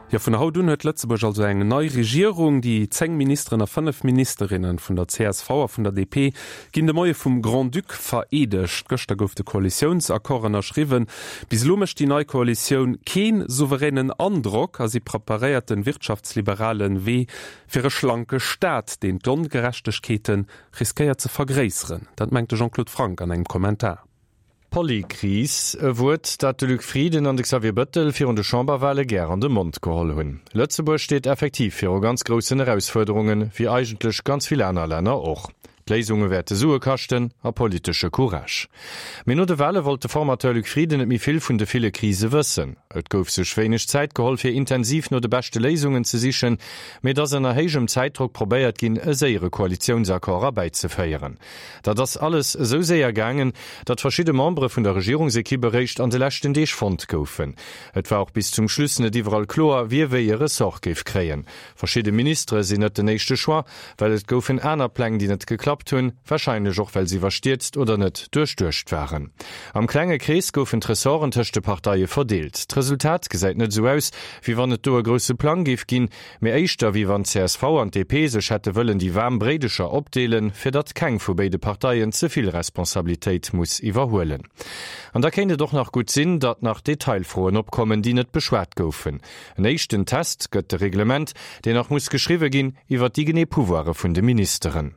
Jo, vun haut un huet Lëtzebuerg also eng nei Regierung. Déi 10 Ministeren a 5 Ministerinne vun der csv a vun der DP ginn de Moie vum Grand-Duc vereedegt. Gëschter gouf de Koalitiounsaccord ënnerschriwwen. Bis elo mécht déi nei Koalitioun kee souveränen Androck a si preparéiert de wirtschaftsliberale Wee fir e schlanke Staat, deen d'Ongerechtegkeete riskéiert ze vergréisseren. Dat mengt de Jean-Claude Franck an engem Kommentar. Polykris, e Wuert, dat de Luc Frieden an de Xavier Bëttel virun de Chamberwale gär an de Mond geholl hunn. Lëtzebuerg steet effektiv viru ganz groussen Erausfuerderungen, wéi eigentlech ganz vill aner Länner och. D'Léisunge wäerte Sue kaschten a politesche Courage. Mee no de Wale wollt de Formateur Luc Frieden net méi vill vun de ville Krise wëssen. Et gouf sech wéineg Zäit geholl, fir intensiv no de beschte Léisungen ze sichen, mee et ass ënner héijem Zäitdrock probéiert ginn, e séiere Koalitiounsaccord erbäizeféieren. Dat ass alles esou séier gaangen, datt verschidde Membere vun der Regierungsekipp eréischt an de leschten Deeg fonnt goufen. Et war och bis zum Schluss net iwwerall kloer, wie wéi e Ressort géif kréien. Verschidde Ministere sinn net den éischte Choix, well et goufen aner Pläng, déi net geklappt hunn, warscheinlech och well se iwwerstierzt oder net duerchduecht waren. Am klenge Krees goufen d'Ressorten tëscht de Parteie verdeelt. D'Resultat gesäit net esou aus, wéi wann et do e grousse Plang géif ginn, Mee éischter wéi wann csv an d'DP sech hätte wëllen déi waarm Bréidecher opdeelen, fir datt keng vu béide Parteien ze vill Responsabilitéit muss iwwerhuelen. An da kéint et och nach gutt sinn, datt nach Detailfroen opkommen, déi net beschwat goufen. En éischten Test gëtt de Reglement, deen nach muss geschriwwe ginn, iwwer déi genee Pouvoire vun de Ministeren.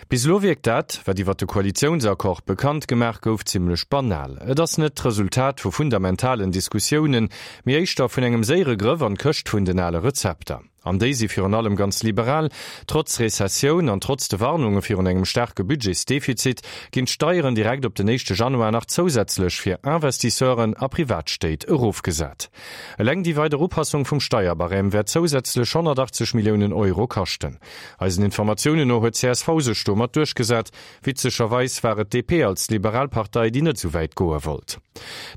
Bis elo wierkt dat, wat iwwer de Koalitiounsaccord bekannt gemaach gouf, zimmlech banal. Et ass net d'Resultat vu fundamentalen Diskussiounen, mee éischter vun engem séiere Grëff an d'Këscht vun den ale Rezepter. An déi si virun allem ganz liberal. Trotz Rezessioun an trotz de Warnunge virun engem staarke Budgetsdefizit ginn d'Steieren direkt op den éischte Januar nach zousätzlech fir Investisseuren a Privatstéit erofgesat. Eleng déi weider Upassung vum Steierbarème wäert zousätzlech 180 Milliounen Euro kaschten. Eisen Informatiounen no huet csv sech domat duerchgesat. Witzegerweis war et d'DP als liberal Partei, déi net esou wäit goe wollt.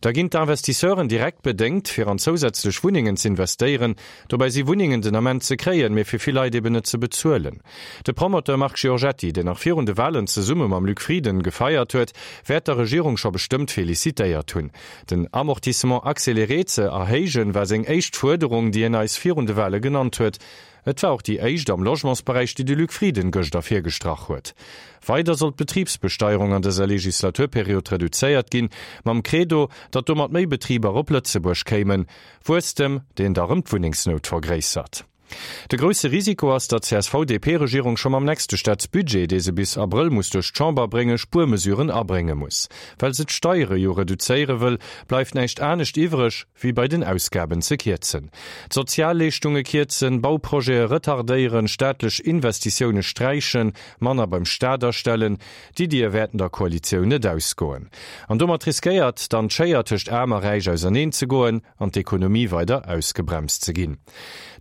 Da ginn d'Investisseuren direkt bedéngt, fir an zousätzlech Wunnengen z'investéieren. Dobäi si Wunnengen den Ament ze kréien, mee fir vill Leit eben net ze bezuelen. De Promoteur Marc Giorgetti, deen nach virun de Walen zesumme mam Luc Frieden gefeiert huet, wäert der Regierung scho bestëmmt felicitéiert hunn. Den Amortissement accéléré ze erhéijen, war seng éischt Fuerderung, déi hien eis virun de Wale genannt huet. Et war och déi éischt am Logementsberäich, déi de Luc Frieden gëscht ervirgestrach huet. Weider soll d'Betribsbesteierung an dëser Legislaturperiod reduzéiert ginn, mam Credo, datt domat méi Betriber op Lëtzebuerg kéimen. Wuesstem, deen da rëm d'Wunnengsnout vergréissert. De grousse Risiko ass, datt d'CSV-DP-Regierung scho mam nächste Staatsbudget, dee se bis Abrëll muss duerch d'Chamber bréngen, Spuermesuren abrénge muss. Well se d'Steiere jo reduzéiere wëll, bleift näischt anescht iwwreg, wéi bei den Ausgaben ze kierzen, d'Sozialleeschtunge kierzen, Bauprojete retardéieren, staatlech Investitioune sträichen, manner beim Staat astellen. D'Iddie wäerten der Koalitioun net ausgoen. An domat riskéiert dann d'Schéier tëscht Aarm a Räich auserneen ze goen an d'Ekonomie weider ausgebremst ze ginn.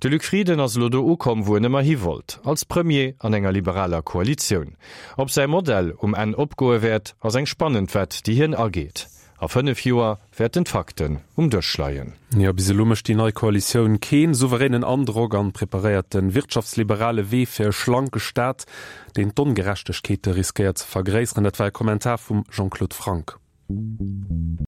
De Luc Frieden ass elo do ukomm, wou en ëmmer hi wollt, als Premier an enger liberaler Koalitioun. Ob säi Modell um Enn opgoe wäert, ass eng spannend Wett, déi hien ageet. A 5 Joer wäerten d'Fakten um Dësch leien. Jo, bis elo mécht déi nei Koalitioun keen souveränen Androck an preparéiert de wirtschaftsliberale Wee fir e schlanke Staat, deen d'Ongerechtegkeete riskéiert ze vergréisseren. Dat war e Kommentar vum Jean-Claude Franck.